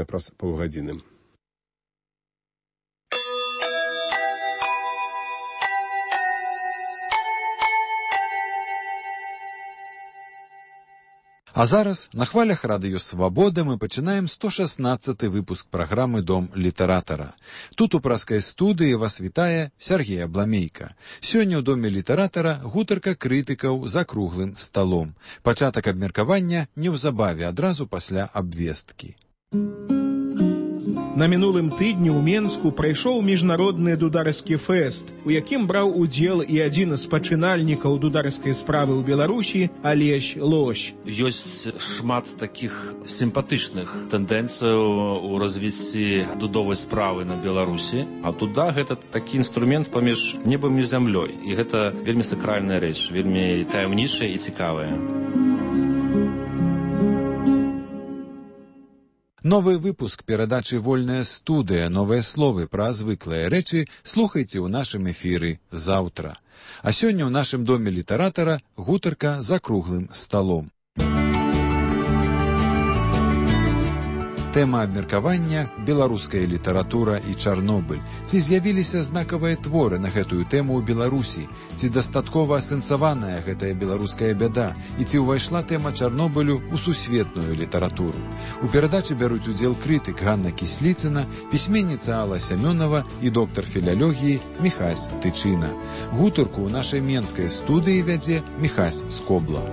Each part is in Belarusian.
прыблізна праз паўгадзіны. А зараз на хвалях радыё «Свабода» мы пачынаем 116-й выпуск праграмы «Дом літаратара». Тут у праскай студыі вас вітае Сергей Абламейка. Сёння ў Доме літаратара гутарка крытыкаў за круглым сталом. Пачатак абмеркавання неўзабаве, адразу пасля абвесткі. На мінулым тыдні ў Менску прайшоў міжнародны дударскі фэст, у якім браў удзел і адзін з пачынальнікаў дударскай справы ў Беларусі Алесь Лось. Ёсць шмат такіх сімпатычных тэндэнцыяў у развіцці дудовай справы на Беларусі, а дуда гэта такі інструмент паміж небам і зямлёй, і гэта вельмі сакральная рэч, вельмі таямнічая і цікавая. Новы выпуск перадачы «Вольная студыя», новыя словы пра звыклыя рэчы слухайце ў нашым эфіры заўтра. А сёння ў нашым Доме літаратара гутарка за круглым сталом. Тэма абмеркавання – беларуская літаратура і Чарнобыль. Ці з'явіліся знакавыя творы на гэтую тэму ў Беларусі? Ці дастаткова асэнсаваная гэтая беларуская бяда? І ці ўвайшла тэма Чарнобылю ў сусветную літаратуру? У перадачы бяруць удзел крытык Ганна Кісліцына, пісьменніца Алла Сямёнова і доктар філалогіі Міхась Тычына. Гутарку ў нашай менскай студыі вядзе Міхась Скобла.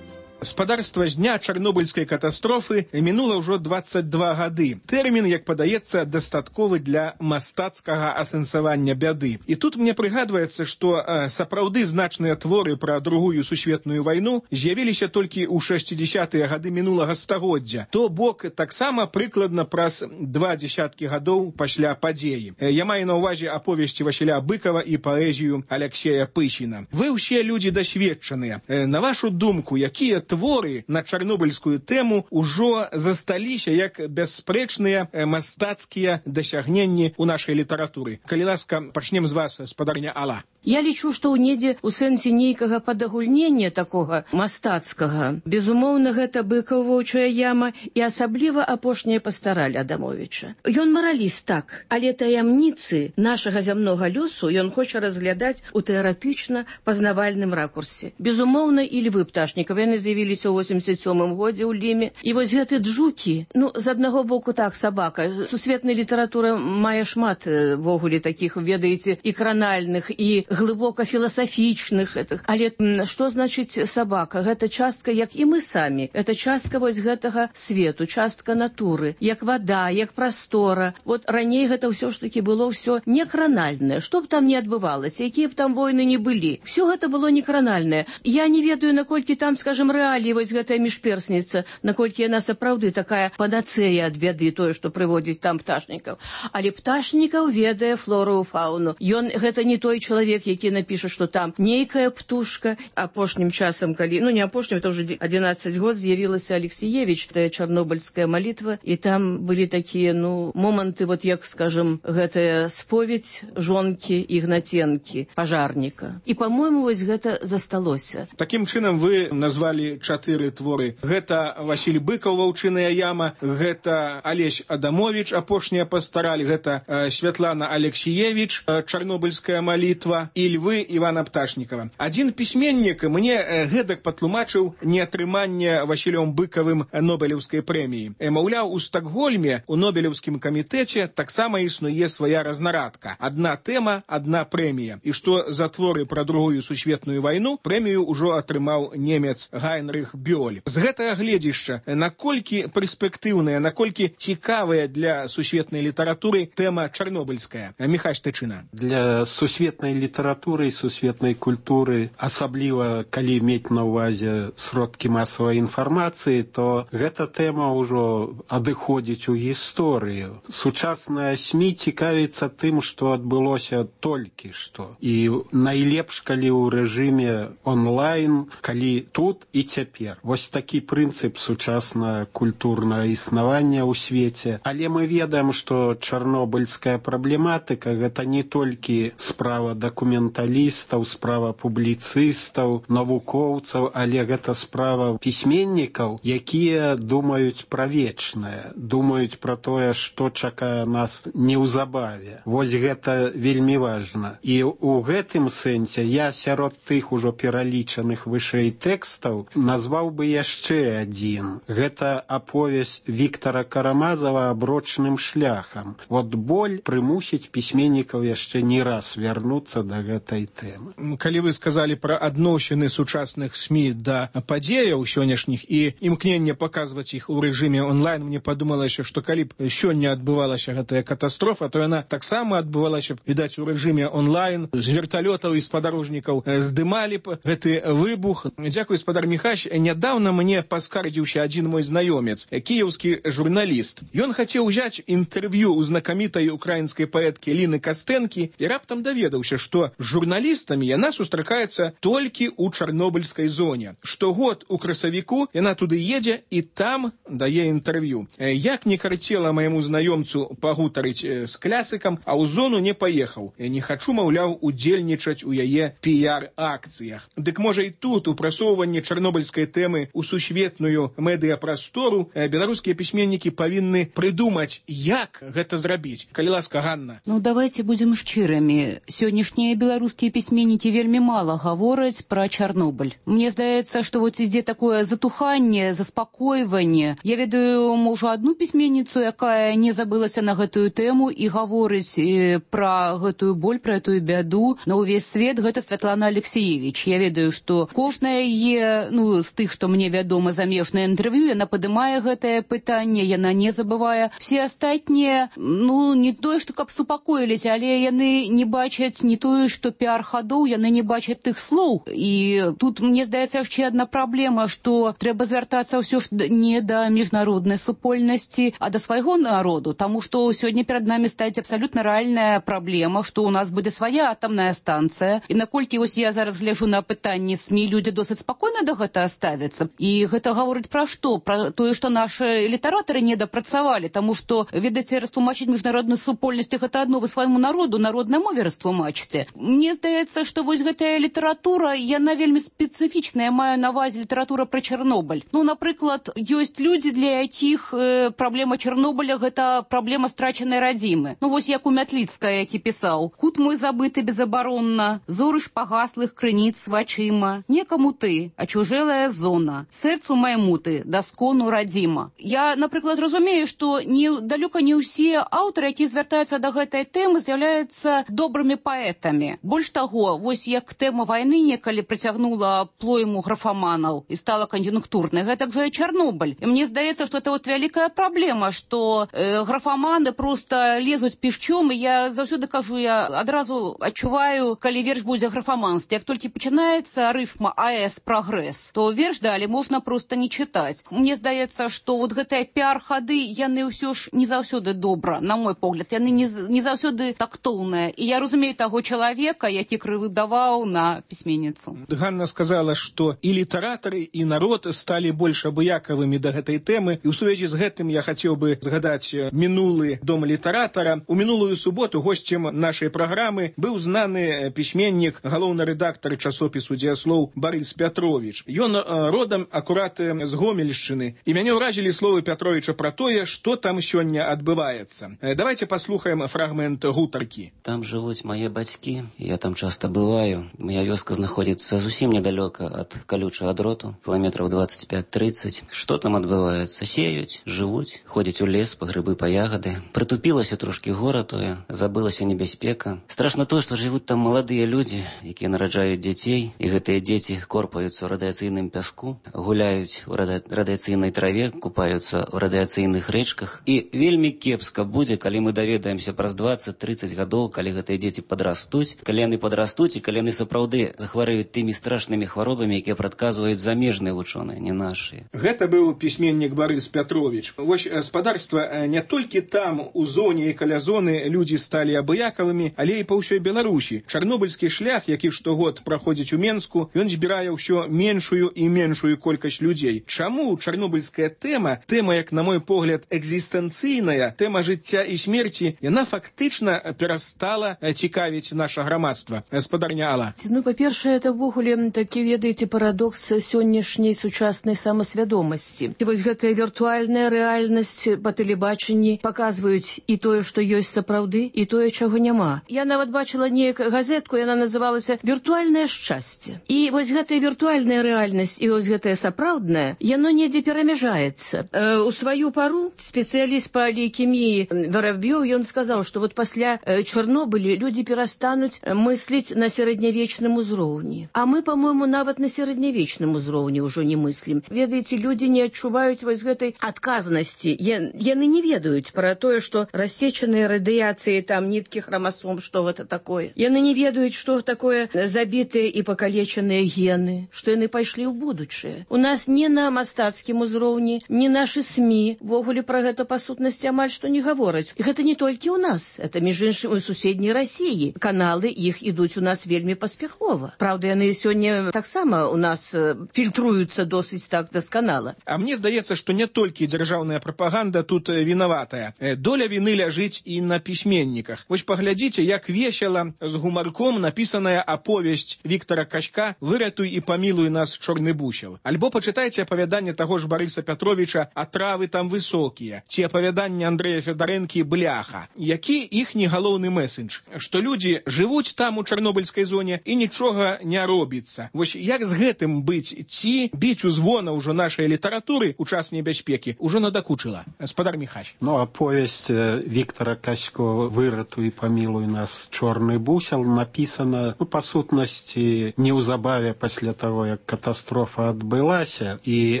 Спадарства з дня чарнобыльскай катастрофы мінула ўжо 22 гады. Тэрмін, як падаецца, дастатковы для мастацкага асэнсавання бяды. І тут мне прыгадваецца, што сапраўды значныя творы пра Другую сусветную вайну з'явіліся толькі ў 60-тыя гады мінулага стагоддзя. То бок таксама прыкладна праз 20 гадоў пасля падзеі. Я маю на ўвазе аповесці Васіля Быкова і паэзію Аляксея Пысіна. Вы ўсе людзі дасведчаныя. На вашу думку, якія творы на чарнобыльскую тэму ўжо засталіся як бясспрэчныя мастацкія дасягненні ў нашай літаратуры? Калі ласка, пачнем з вас, спадарня Алла. Я лічу, што ў недзе ў сэнсе нейкага падагульнення такога мастацкага. Безумоўна, гэта Быкаў-Воўчая яма і асабліва апошняя пастараль Адамовіча. Ён мараліст, так, але таямніцы нашага зямнога лёсу ён хоча разглядаць у тэарэтычна пазнавальным ракурсе. Безумоўна, і Львы Пташнікава, яны з'явіліся ў 87-м годзе ў Ліме. І вось гэты джукі, з аднаго боку так, сабака. Сусветная літаратура мае шмат вогуле такіх, ведаеце, і кранальных, і глыбока філасафічных. Але што значыць сабака? Гэта частка, як і мы самі. Гэта частка вось гэтага свету, частка натуры, як вада, як прастора. Вот раней гэта ўсё ж такі было ўсё не кранальнае. Што б там не адбывалася, якія б там войны не былі. Всё гэта было не кранальнае. Я не ведаю, наколькі там, скажем, рэаліі вось гэтая міжперсніца, наколькі яна сапраўды такая панацэя ад бяды, тое, што прыводзіць там Пташнікаў. Але Пташнікаў ведае флору і фауну. Ён гэта не той чалавек, які напіша, што там нейкая птушка. Апошнім часам, калі, не апошнім, это ўжо 11 год з'явілася Алексіевіч, тая чарнобыльская малітва, і там былі такія, моманты, вот як, скажем, гэтая споведь жонкі Ігнаценкі, пажарніка. І, па-мойму, вось гэта засталося. Такім чынам вы назвалі 4 творы. Гэта Васіль Быкаў, Ваўчыная яма, гэта Алесь Адамовіч, апошняя пастараль, гэта Святлана Алексіевіч, чарнобыльская малітва, і Львы Івана Пташнікава. Адзін пісьменнік мне гэтак патлумачыў неатрыманне Васілём Быкавым Нобелеўскай прэміі. Маўляў, у Стакгольме, у Нобелеўскім камітэце таксама існуе свая разнарадка. Адна тэма, адна прэмія. І што за творы пра Другую сусветную вайну прэмію ўжо атрымаў немец Гайнрых Бёль. З гэтага гледзішча, наколькі перспектыўная, наколькі цікавая для сусветнай літаратуры тэма чарнобыльская? Міхась Тычына. Для сусветнай літаратуры і сусветнай культуры, асабліва калі мець на ўвазе сродкі масавай інфармацыі, то гэта тэма ўжо адыходзіць у гісторыю. Сучасная СМІ цікавіцца тым, што адбылося толькі што. І найлепш, калі ў рэжыме онлайн, калі тут і цяпер. Вось такі прынцып сучаснага культурнага існавання ў свеце. Але мы ведаем, што чарнобыльская праблематыка гэта не толькі справа дакументальная, дакументалістаў, справа публіцыстаў, навукоўцаў, але гэта справа пісьменнікаў, якія думаюць пра вечнае, думаюць пра тое, што чакае нас неўзабаве. Вось гэта вельмі важна. І ў гэтым сэнсе я сярод тых ужо пералічаных вышэй тэкстаў назваў бы яшчэ адзін. Гэта аповесць Віктара Карамазава «Аброчным шляхам». Вот боль прымусіць пісьменнікаў яшчэ не раз вярнуцца да гэтай тэмы. Калі вы сказалі пра адносіны сучасных СМІ да падзеяў сённяшніх і імкненне паказваць іх у рэжыме онлайн, мне падумалася, што калі б сёння адбывалася гэтая катастрофа, то яна таксама адбывалася б, відаць, у рэжыме онлайн, з верталётаў і спадарожнікаў здымалі б гэты выбух. Дзякуй, спадар Міхась. Нядаўна мне паскардзіўся адзін мой знаёмец, кіеўскі журналіст. Ён хацеў узяць інтэрв'ю ў знакамітай украінскай паэткі Ліны Кастэнкі і раптам даведаўся, што з журналістамі яна сустракаецца толькі ў чарнобыльскай зоне. Штогод у красавіку яна туды едзе і там дае інтэрв'ю. Як не карцела майму знаёмцу пагутарыць з клясыкам, а ў зону не паехаў. Не хачу, маўляў, удзельнічаць у яе піяр-акцыях. Дык можа і тут у прасоўванні чарнобыльскай тэмы ў сусветную медыяпрастору беларускія пісьменнікі павінны прыдумаць, як гэта зрабіць. Калі ласка, Ганна. Ну, давайте будем шчырымі. Сённяшнія беларускія пісьменнікі вельмі мала гавораць пра Чарнобыль. Мне здаецца, што вот ідзе такое затуханне, заспакойванне. Я ведаю, можа, одну пісьменніцу, якая не забылася на гэтую тэму і гаворыць пра гэтую боль, пра этую бяду на ўвесь свет. Гэта Святлана Алексеевич. Я ведаю, што кожная яе, з тых, што мне вядома, замежнае інтэрв'ю, яна падымае гэтае пытанне, яна не забывае. Все астатнія, не тое, што каб супакоіліся, але яны не бачаць не тое, што піар-хадоў, яны не бачаць тых слоў. І тут, мне здаецца, яшчэ адна праблема, што трэба звяртацца ўсё ж не да міжнароднай супольнасці, а да свайго народу, таму што сёння перад намі стаіць абсалютна рэальная праблема, што ў нас будзе свая атамная станцыя. І наколькі вось я зараз гляжу на пытанні СМІ, людзі досыць спакойна да гэтага ставяцца. І гэта гаворыць пра што? Пра тое, што нашы літаратары недапрацавалі, таму што, ведаеце, растлумачыць міжнародную супольнасць гэта адно, вы свайму народу, народнай мове растлумачыце. Мне здаецца, што вось гэтая літаратура, яна вельмі спецыфічная, я маю на ўвазе літаратура пра Чарнобыль. Напрыклад, ёсць людзі, для якіх праблема Чарнобыля гэта праблема страчанай радзімы. Вось як у Мятліцкая, які пісаў: «Кут мой забыты безабаронна, зоры ж пагаслых крыніц вачыма, некаму ты, а чужэлая зона, сэрцу майму ты, даскону радзіма». Я, напрыклад, разумею, што далёка не ўсе аўтары, якія звяртаюцца да гэтай тэмы, з'яўляюцца добрымі паэтамі. Больш таго, вось як тэма вайны некалі прыцягнула плойму графаманаў і стала кан'юнктурнай, гэтак жа і Чарнобыль. І мне здаецца, што это вялікая праблема, што графаманы проста лезуць пішчом, і я заўсёды кажу, я адразу адчуваю, калі верш будзе графаманстве. Як толькі пачынаецца рыфма АС прагрэс, то верш далі можна проста не чытаць. Мне здаецца, што вот гэтыя піар-хады, яны ўсё ж не заўсёды добра, на мой погляд, яны не заўсёды тактоўныя. І я разумею таго чалавека, які крывыдаваў на пісьменніцу. Ганна сказала, што і літаратары, і народ сталі больш абыякавымі да гэтай тэмы. І ў сувязі з гэтым я хацеў бы згадаць мінулы дом літаратара. У мінулую суботу госцем нашай праграмы быў знаны пісьменнік, галоўны рэдактар часопісу «Дзеяслоў» Барыс Пятровіч. Ён родам акурат з Гомельшчыны. І мяне ўразілі словы Пятровіча пра тое, што там сёння адбываецца. Давайте паслухаем фрагмент гутаркі. Там жывуць мае бацькі, я там часта бываю. Моя вёска знаходзіцца зусім недалёка ад калючага дроту, кіламетраў 25-30. Што там адбываецца? Сеюць, жывуць, ходзяць у лес па грыбы, па ягады. Прытупілася трошкі гора тое, забылася небяспека. Страшна тое, што жывуць там маладыя людзі, якія нараджаюць дзяцей, і гэтыя дзеці корпаюцца ў радыяцыйным пяску, гуляюць у радыяцыйнай траве, купаюцца ў радыяцыйных рэчках. І вельмі кепска будзе, калі мы даведаемся праз 20-30 гадоў, калі гэтыя дзеці падрастуць, калі яны падрастуць і калі яны сапраўды захварэюць тымі страшнымі хваробамі, якія прадказваюць замежныя вучоныя, не нашыя. Гэта быў пісьменнік Барыс Пятровіч. Вось спадарства не толькі там, у зоне і каля зоны, людзі сталі абыякавымі, але і па ўсёй Беларусі. Чарнобыльскі шлях, які штогод праходзіць у Менску, ён збірае ўсё меншую і меншую колькасць людзей. Чаму чарнобыльская тэма, як на мой погляд, экзістэнцыйная, тэма жыцця і смерці, яна фактычна перастала цікавіць наш наша грамадства. Спадарня Алла. Ну, па-першае, это ўвогуле такі, ведаеце, парадокс сённяшняй сучаснай самасвядомасці. І вось гэтая віртуальная рэальнасць па тэлебачанні паказваюць і тое, што ёсць сапраўды, і тое, чаго няма. Я нават бачыла неяк газетку, яна называлася «Віртуальнае шчасце». І вось гэтая віртуальная рэальнасць і вось гэтая сапраўдная, яно недзе перамяжаецца. У сваю пару спецыяліст па лейкеміі Воробьёв, ён сказаў, што вот пасля Чарнобыля людзі перастануць мысліць на сярэднявечным узроўні. А мы, по-моему, нават на сярэднявечным узроўні ўжо не мыслім. Ведаеце, людзі не адчуваюць вось гэтай адказнасці. Яны не ведаюць пра тое, што рассечаныя радыяцыі, там, ніткі храмасом, што гэта такое. Яны не ведаюць, што такое забітыя і пакалечаныя гены, што яны пайшлі ў будучае. У нас не на мастацкім узроўні, не нашы СМІ ввогуле пра гэта па сутнасці амаль што не гавораць. І гэта не толькі ў нас, это, між іншым, у суседняй Расіі. Каналы іх ідуць у нас вельмі паспяхова. Праўда, яны сёння таксама у нас фільтруюцца досыць так дасканала. А мне здаецца, што не толькі дзяржаўная прапаганда тут вінаватая. Доля віны ляжыць і на пісьменніках. Вось паглядзіце, як весела з гумарком напісаная аповесць Віктара Качка «Выратуй і памілуй нас, чорны бусел». Альбо пачытайце апавяданне таго ж Барыса Пятровіча «А травы там высокія», ці апавяданне Андрэя Федарэнкі «Бляха». Які іхні галоўны месседж? Што людзі жывуць там у чарнобыльскай зоне і нічога не робіцца. Вось як з гэтым быць? Ці біць у звона ўжо нашай літаратуры у час небяспекі ўжо надакучыла? Спадар Міхась. Ну, аповесць Віктара Качко «Выратуй і памілуй нас, чорны бусел» напісана, па сутнасці, неўзабаве пасля таго, як катастрофа адбылася. І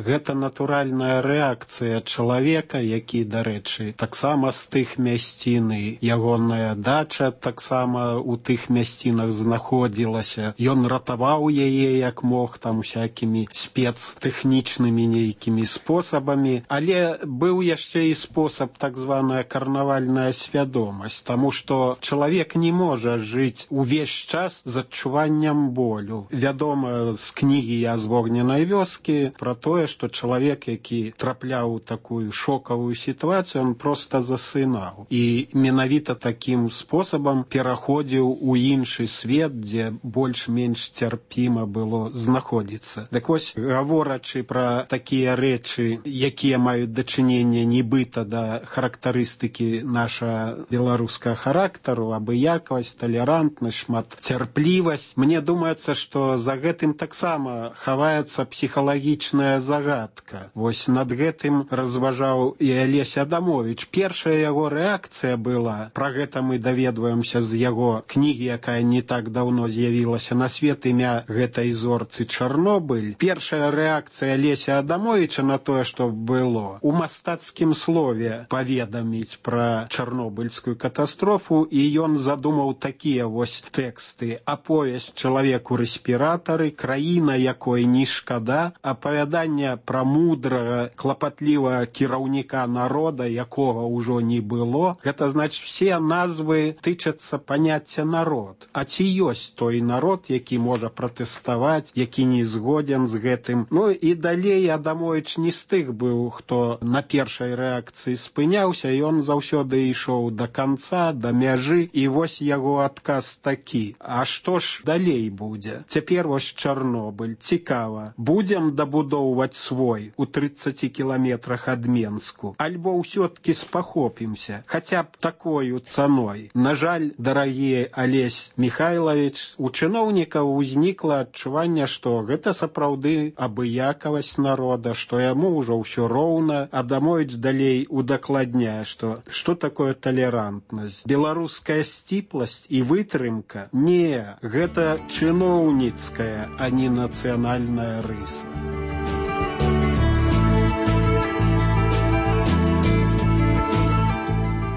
гэта натуральная рэакцыя чалавека, які, дарэчы, таксама з тых мясцін, ягоная дача таксама у тых мясцінах знаходзілася. Ён ратаваў яе як мог, там всякімі спецтэхнічнымі нейкімі спосабамі, але быў яшчэ і спосаб так званая карнавальная свядомасць, таму што чалавек не можа жыць увесь час з адчуваннем болю. Вядома з кнігі «Я з вогненай вёскі» пра тое, што чалавек, які трапляў у такую шокавую сітуацыю, он проста засынаў. І менавіта такім спосабам пераходзіў у іншы свет, дзе больш-менш цярпіма было знаходзіцца. Так вось, гаворачы пра такія рэчы, якія маюць дачыненне нібыта да характарыстыкі наша беларускага характару, абыякавасць, талерантнасць, шматцярплівасць, мне думаецца, што за гэтым таксама хаваецца псіхалагічная загадка. Вось над гэтым разважаў і Алесь Адамовіч. Першая яго рэакцыя была, пра гэта мы даведваемся з яго кнігі, якая не так даўно з'явілася на свет, імя гэтай зорцы Чарнобыль. Першая рэакцыя Алеся Адамовіча на тое, што было, у мастацкім слове паведаміць пра чарнобыльскую катастрофу, і ён задумаў такія вось тэксты. Аповесць «Чалавек у рэспіратары», «Краіна, якой не шкада», апавяданне пра мудрага, клапатлівага кіраўніка народа, якога ўжо не было. Гэта значыць, все назвы тычацца паняцця народ. А ці ёсць той народ, які можа пратэставаць, які не згоден з гэтым? Ну і далей Адамовіч не з тых быў, хто на першай рэакцыі спыняўся, і ён заўсёды ішоў да канца, да мяжы, і вось яго адказ такі. А што ж далей будзе? Цяпер вось Чарнобыль. Цікава. Будзем дабудоўваць свой у 30 кіламетрах ад Менску? Альбо ўсё-ткі спахопімся? Хаця б такою цаной. На жаль, дарагі Алесь Михайлович, у чыноўнікаў узнікла адчуванне, што гэта сапраўды абыякавасць народа, што яму ўжо ўсё роўна. Адамовіч далей удакладняе, што такое талерантнасць. Беларуская сціпласць і вытрымка? Не, гэта чыноўніцкая, а не нацыянальная рыса.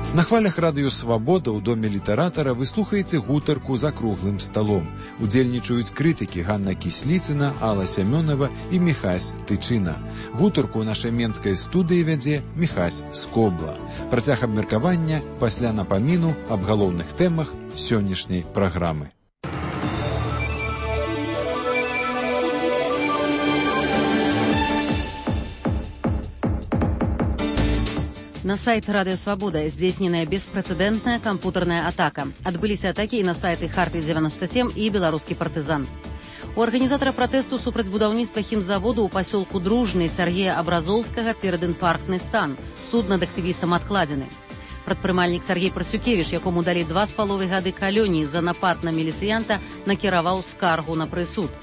На хвалях радыё «Свабода» ў доме літаратара вы слухаеце гутарку за круглым сталом. Удзельнічаюць крытыкі Ганна Кісліцына, Алла Сямёнова і Міхась Тычына. Гутарку ў нашай менскай студыі вядзе Міхась Скобла. Працяг абмеркавання пасля напаміну аб галоўных тэмах сённяшняй праграмы. На сайт Радио Свобода здзейсненая беспрэцэдэнтная кампутарная атака. Адбыліся атакі і на сайты Харты-97 і Беларускі партызан. У арганізатара пратэсту супраць будаўніцтва хімзаводу ў пасёлку Дружны Сергея Абразоўскага перадінфарктны стан. Суд над актывістам адкладзены. Прадпрымальнік Сергей Прасюкевіч, якому далі 2,5 гады калоніі за напад на міліцыянта, накіраваў скаргу на прысуд.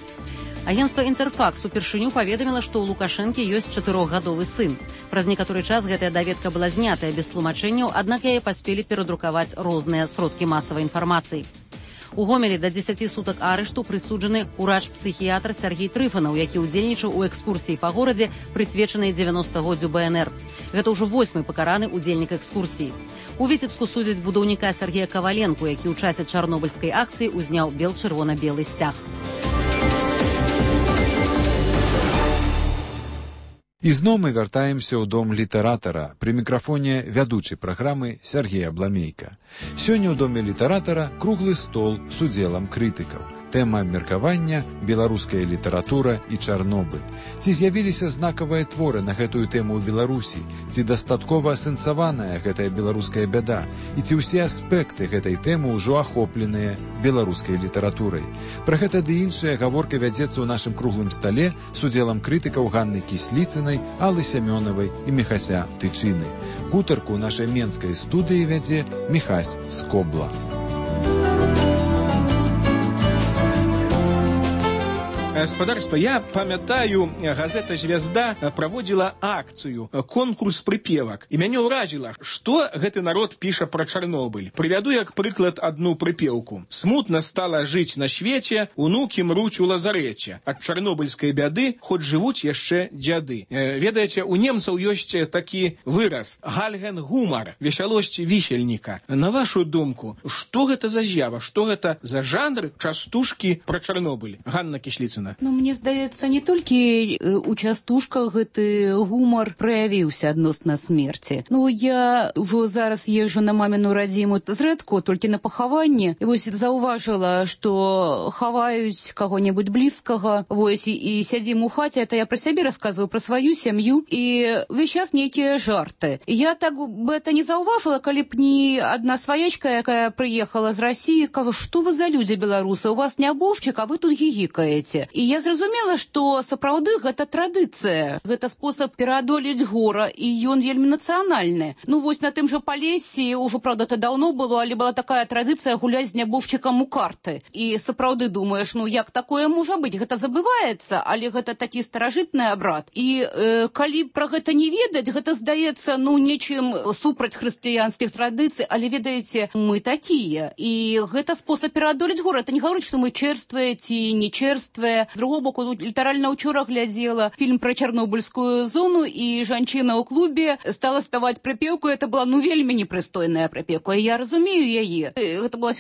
Агентства «Інтэрфакс» упершыню паведаміла, што ў Лукашэнкі ёсць 4-гадовы сын. Праз некаторы час гэтая даведка была знятая без тлумачэнняў, аднак яе паспелі перадрукаваць розныя сродкі масавай інфармацыі. У Гомелі да 10 сутак арышту прысуджаны урач-псіхіятр Сергей Трыфанаў, які ўдзельнічаў у экскурсіі па горадзе, прысвечанай 90-годдзю БНР. Гэта ўжо 8-й пакараны ўдзельнік экскурсіі. У Віцебску судзяць будаўніка Сергея Каваленку, які ў часе чарнобыльскай акцыі ўзняў бел-чырвона-белы сцяг. Ізноў мы вяртаемся ў дом літаратара. Пры мікрафоне вядучы праграмы Сергей Абламейка. Сёння ў доме літаратара круглы стол з удзелам крытыкаў. Тэма абмеркавання – беларуская літаратура і Чарнобыль. Ці з'явіліся знакавыя творы на гэтую тэму ў Беларусі? Ці дастаткова асэнсаваная гэтая беларуская бяда? І ці ўсе аспекты гэтай тэмы ўжо ахопленыя беларускай літаратурай? Пра гэта ды іншая гаворка вядзецца ў нашым круглым стале з удзелам крытыкаў Ганны Кісліцынай, Аллы Сямёнавай і Міхася Тычыны. Гутарку ў нашай менскай студыі вядзе Міхась Скобла. Гаспадарства, я памятаю, газета «Звезда» праводзіла акцыю, конкурс прыпевак. І мяне ўразіла, што гэты народ піша пра Чарнобыль. Прывяду як прыклад адну прыпеўку. «Смутна стала жыць на свеце, унукі мруць у лазарэце. Ад чарнобыльскай бяды хоць жывуць яшчэ дзяды». Ведаеце, у немцаў ёсць такі выраз «гальген гумар», весялосць вісельніка. На вашу думку, што гэта за з'ява, што гэта за жанр частушкі пра Чарнобыль? Ганна Кісліцына. Ну, мне здаецца, не толькі у частушках гэты гумар праявіўся адносна смерці. Ну, я ўжо зараз езжу на маміну радзіму зрэдку, толькі на пахаванне. І вось заўважыла, што хаваюць каго-небудзь блізкага, вось, і сядзім у хаце, это я пра сябе расказваю, пра сваю сям'ю, і ўвесь час нейкія жарты. Я так бы это не заўважыла, калі б не адна сваячка, якая прыехала з Расіі, кажа, што вы за людзі беларусы, у вас нябожчык, а вы тут гігікаеце. І я зразумела, што сапраўды гэта традыцыя, гэта спосаб пераадолець гора, і ён вельмі нацыянальны. Ну вось на тым жа Палесе, ўжо, правда, это даўно было, але была такая традыцыя гуляць з нябожчыкам у карты. І сапраўды думаеш, ну як такое можа быць? Гэта забываецца, але гэта такі старажытны абрад. І калі пра гэта не ведаць, гэта здаецца, ну, нечым супраць хрысціянскіх традыцый, але ведаеце, мы такія. І гэта спосаб пераадолець гора. Это не гаворыць, што мы чэрствыя ці не чэрствыя. З другого боку, літаральна ўчора глядзела фільм пра чарнобыльскую зону, і жанчына ў клубе стала спяваць прыпеўку. Это была, ну, вельмі непрыстойная прыпеўка. І я разумею яе. Гэта была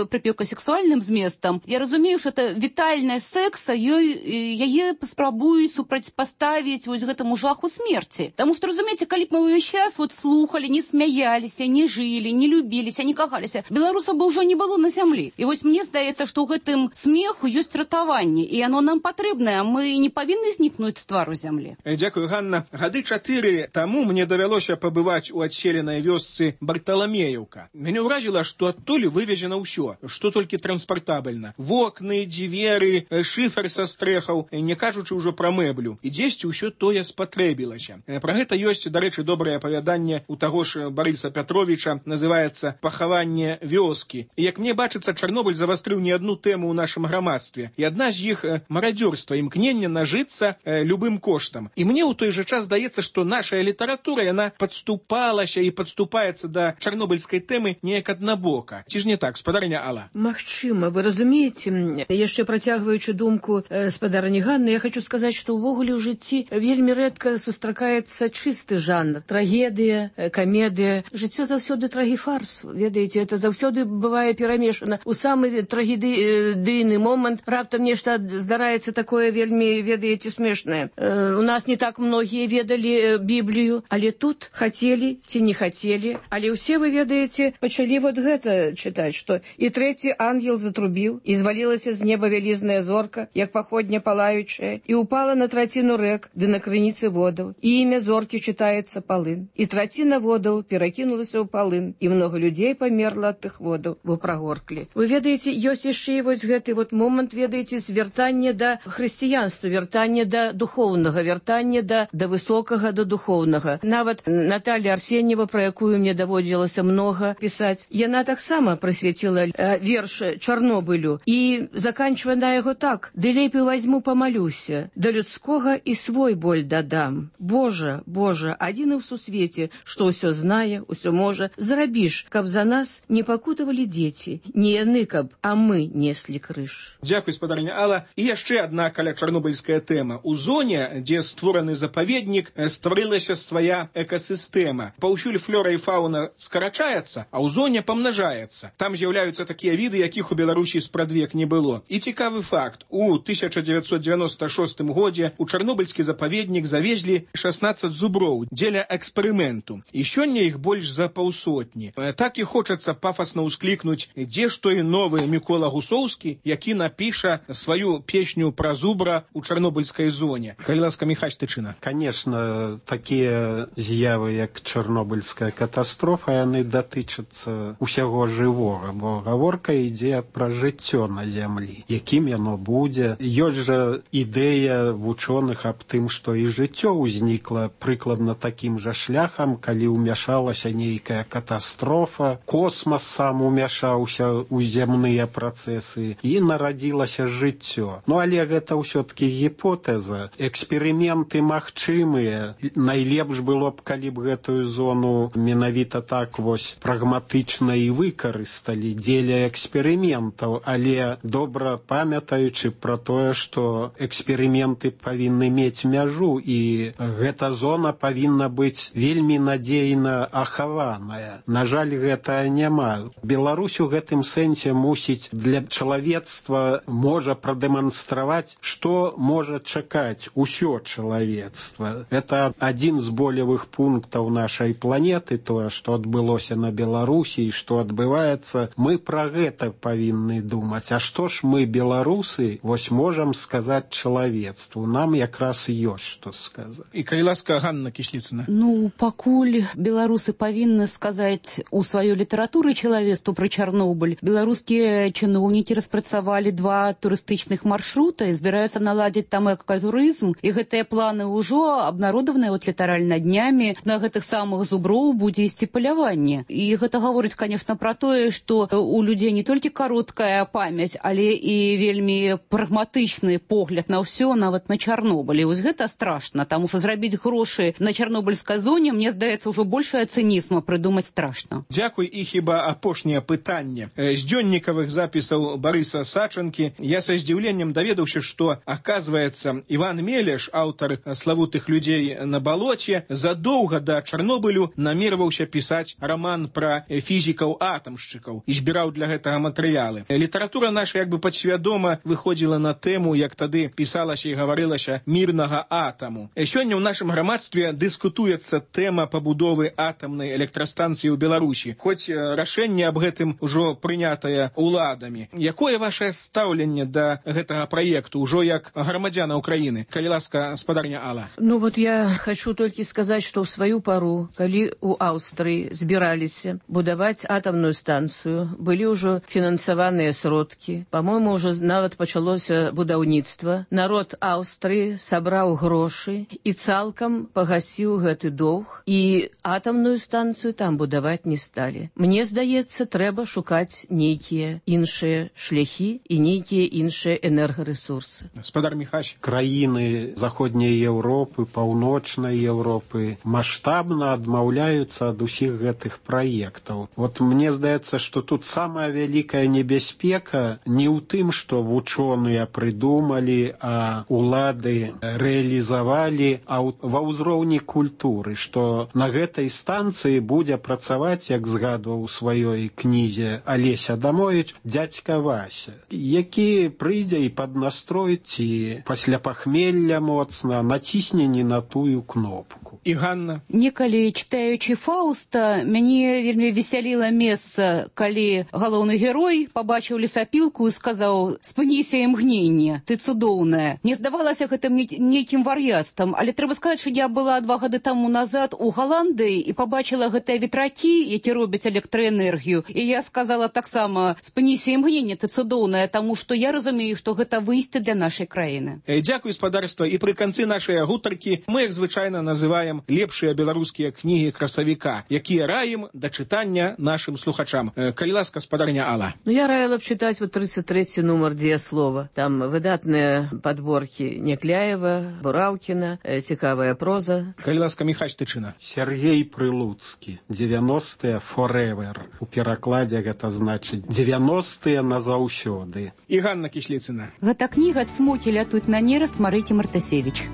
прыпеўка сексуальным зместам. Я разумею, што это вітальная секса, яе спрабуюць супрацьпаставіць вось гэтаму жаху смерці. Таму што, разумееце, калі б мы ўвесь час вот слухалі, не смяяліся, не жылі, не любіліся, не кахаліся, беларусаў бы ўжо не было на зямлі. І вось мне здаецца, што ў гэтым смеху ёсць ратаванне, і оно нам патрэбнае, мы не павінны знікнуць з твару зямлі. Дзякую, Ганна. Гады 4 таму мне давялося пабываць у адселенай вёсцы Барталамеевка. Мяне ўразіла, што адтуль вывезена ўсё, што толькі транспартабельна. Вокны, дзверы, шыфер са стрэхаў, не кажучы ўжо пра мэблю. І дзесьці ўсё тое спатрэбілася. Пра гэта ёсць, дарэчы, добрае апавяданне у таго ж Барыса Пятровіча, называецца «Пахаванне вёскі». І як мне бачыцца, Чарнобыль завастрыў не адну тэму ў нашым грамадстве. І адна з іх марадзёрства, імкнення нажыцца любым коштам. І мне ў той жа час здаецца, што наша літаратура, яна падступалася і падступаецца да чарнобыльскай тэмы неяк аднабока. Ці ж не так, спадарня Алла? Магчыма, вы разумееце, яшчэ працягваючы думку спадарні Ганны, я хочу сказаць, што ўвогуле ў жыцці вельмі рэдка сустракаецца чысты жанр. Трагедыя, камедыя. Жыццё заўсёды трагіфарс. Ведаеце, это заўсёды бывае перамешана. У самы трагедыйны момант раптам нешта здараецца такое вельмі, ведаеце, смешнае. У нас не так многія ведалі Біблію, але тут хацелі ці не хацелі, але ўсе, вы ведаеце, пачалі вот гэта чытаць, што і трэці ангел затрубіў, і звалілася з неба вялізная зорка, як паходня палаючая, і упала на траціну рэк, ды на крыніцы водаў, і імя зоркі чытаецца Палын. І траціна водаў перакінулася ў Палын, і много людзей памерла ад тых водаў, бо прагорклі. Вы ведаеце, ёсць яшчэ і вось гэты вот момант, ведаеце, звяртання да хрысціянства, вяртання да духоўнага, вяртання да высокага, да духоўнага. Нават Наталья Арсеньева, про якую мне даводзілася много пісаць, яна таксама прысвяціла верш Чарнобылю і заканчвае на яго так: «Ды лепей возьму помолюся, да людскога і свой боль дадам. Божа, Божа, адзіны ў сусвеце, што ўсё знае, ўсё можа, зрабіш, каб за нас не пакутавалі дзеці, не яны, каб, а мы неслі крыж». Дзякуй, спадарня Алла. І яшчэ адна каля чарнобыльская тэма. У зоне, дзе створаны запаведнік, стварылася свая экасістэма. Паўсюль флора і фауна скарачаецца, а ў зоне памнажаецца. Там з'яўляюцца такія віды, якіх у Беларусі спрадвек не было. І цікавы факт. У 1996 годзе у чарнобыльскі запаведнік завезлі 16 зуброў дзеля эксперыменту. І сёння іх больш за паўсотні. Так і хочацца пафасна ўсклікнуць, дзе ж той новы Мікола Гусоўскі, які напіша сваю песню пра зубра у чарнобыльскай зоне. Калі ласка, Міхась Тычына. Конечно, такія з'явы, як чарнобыльская катастрофа, яны датычацца усяго жывога, бо гаворка ідзе пра жыццё на зямлі. Якім яно будзе? Ёсць жа ідэя вучоных аб тым, што і жыццё ўзнікла прыкладна такім жа шляхам, калі ўмяшалася нейкая катастрофа, космас сам умяшаўся ў зямныя працэсы і нарадзілася жыццё. Ну, але гэта ўсё-ткі гіпотэза. Эксперыменты магчымыя. Найлепш было б, калі б гэтую зону менавіта так вось прагматычна і выкарысталі дзеля эксперыментаў, але добра памятаючы пра тое, што эксперыменты павінны мець мяжу, і гэта зона павінна быць вельмі надзейна ахаваная. На жаль, гэта няма. Беларусь у гэтым сэнсе мусіць для чалавецтва можа прадэманстраваць, што можа чакаць усё чалавецтва. Это адзін з болевых пунктаў нашай планеты, тое, што адбылося на Беларусі і што адбываецца. Мы пра гэта павінны думаць. А што ж мы, беларусы, вось можам сказаць чалавецтву? Нам якраз ёсць што сказаць. І калі ласка, Ганна Кісліцына. Ну, пакуль беларусы павінны сказаць у сваёй літаратуры чалавецтву пра Чарнобыль, беларускія чыноўнікі распрацавалі 2 турыстычных маршрута і збіраюцца наладзіць там экатурызм, і гэтыя планы ўжо абнародаваныя вот літаральна днямі. На гэтых самых зуброў будзе ісці паляванне. І гэта гаворыць, конечно, пра тое, што у людзей не толькі кароткая памяць, але і вельмі прагматычны погляд на ўсё, нават на Чарнобыль. І вось гэта страшна, таму што зрабіць грошы на чарнобыльскай зоне, мне здаецца, ўжо большая цынізма прыдумаць страшна. Дзякуй. І хіба апошняе пытанне. З дзённікавых запісаў Барыса Сачанкі я са здзіўленнем даведаўся, што, аказваецца, Іван Мелеш, аўтар славутых людзей на балоце, задоўга да Чарнобылю намерваўся пісаць раман пра фізікаў-атамшчыкаў і збіраў для гэтага матэрыялы. Літаратура наша як бы падсвядома выходзіла на тэму, як тады пісалася і гаварылася, мірнага атаму. Сёння ў нашым грамадстве дыскутуецца тэма пабудовы атамнай электрастанцыі ў Беларусі, хоць рашэнне аб гэтым ужо прынятае уладамі. Якое вашае стаўленне да гэтага праекту ўжо як грамадзяна Украіны? Калі ласка, спадарня Алла. Ну вот я хочу толькі сказаць, што ў сваю пару, калі ў Аўстрыі збіраліся будаваць атамную станцыю, былі ўжо фінансаваныя сродкі, па-мойму, ўжо нават пачалося будаўніцтва. Народ Аўстрыі сабраў грошы і цалкам пагасіў гэты доўг, і атамную станцыю там будаваць не сталі. Мне здаецца, трэба шукаць нейкія іншыя шляхі і нейкія іншыя энергарэсурсы. Спадар Міхась. Краіны заходняй Еўропы, паўночнай Еўропы маштабна адмаўляюцца ад усіх гэтых праектаў. Вот мне здаецца, што тут самая вялікая небяспека не ў тым, што вучоныя прыдумалі, а улады рэалізавалі, а ва ўзроўні культуры, што на гэтай станцыі будзе працаваць, як згадваў у сваёй кнізе Алесь Адамовіч, дзядзька Вася, які прыйдзе і паднастрой ці пасля пахмелля моцна націсне не на тую кнопку. І Ганна? Некалі, читаючы Фауста, мяне вельмі весяліла месца, калі галоўны герой пабачыў лесапілку і сказаў: «Спыніся імгненне, ты цудоўная». Мне здавалася гэтым нейкім вар'яцтвам, але трэба сказаць, што я была 2 гады таму назад у Галандыі і пабачыла гэтыя ветракі, які робяць электраэнергію, і я сказала таксама: «Спыніся імгненне, ты цудоўная», таму што я разумею, што гэта выйсце для нашай краіны. Дзякуй, спадарства, і пры канцы нашай гутаркі мы, як звычайна, называем лепшыя беларускія кнігі красавіка, якія раім да чытання нашым слухачам. Калі ласка, спадарня Алла. Я раіла б чытаць 33 нумар «Дзеяслова». Там выдатныя падборкі Някляева, Бураўкіна, цікавая проза. Калі ласка, Міхась Тычына. Сергей Прылуцкі. 90-е forever. У перакладзе гэта значыць 90-е назаўсёды. І Ганна Кісліцына. Гэта кніга «Цмокі лятуць на нераст» Марыкі Мартасевіч.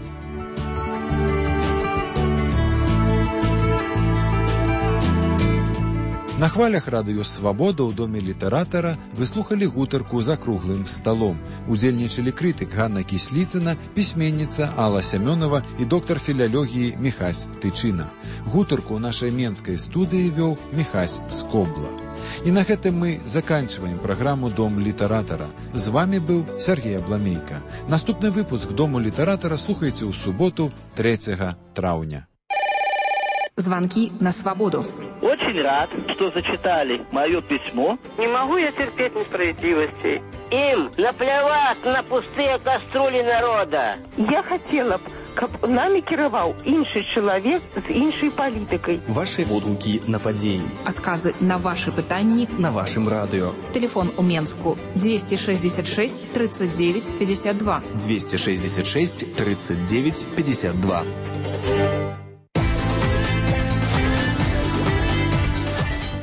На хвалях радыё «Свабода» ў доме літаратара вы слухалі гутарку «За круглым сталом». Удзельнічалі крытык Ганна Кісліцына, пісьменніца Алла Сямёнова і доктар філалогіі Міхась Тычына. Гутарку ў нашай менскай студыі вёў Міхась Скобла. І на гэтым мы заканчиваем праграму «Дом літаратара». З вами быў Сергей Абламейка. Наступны выпуск «Дому літаратара» слухайце ў суботу 3 траўня. Звонки на свободу. Очень рад, что зачитали мое письмо. Не могу я терпеть несправедливости. Им наплевать на пустые кастрюли народа. Я хотела б, каб нами кіраваў іншы чалавек з іншай палітыкай. Ваши водгукі на падзеі. Адказы на ваши пытанні на вашым радыё. Телефон у Менску 266 39 52. 266 39 52.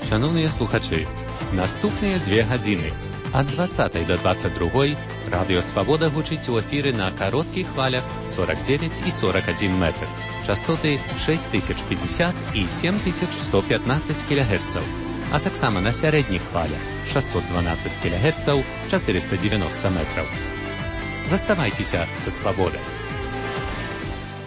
Шановні слухачі, наступні 2 години. От 20 до 22 Радіо Свобода гучить у ефірі на коротких хвалях 49 і 41 метр. Частоти 6050 і 7115 кГц. А так само на середніх хвалях 612 кГц, 490 метрів. Заставайтеся за свободою.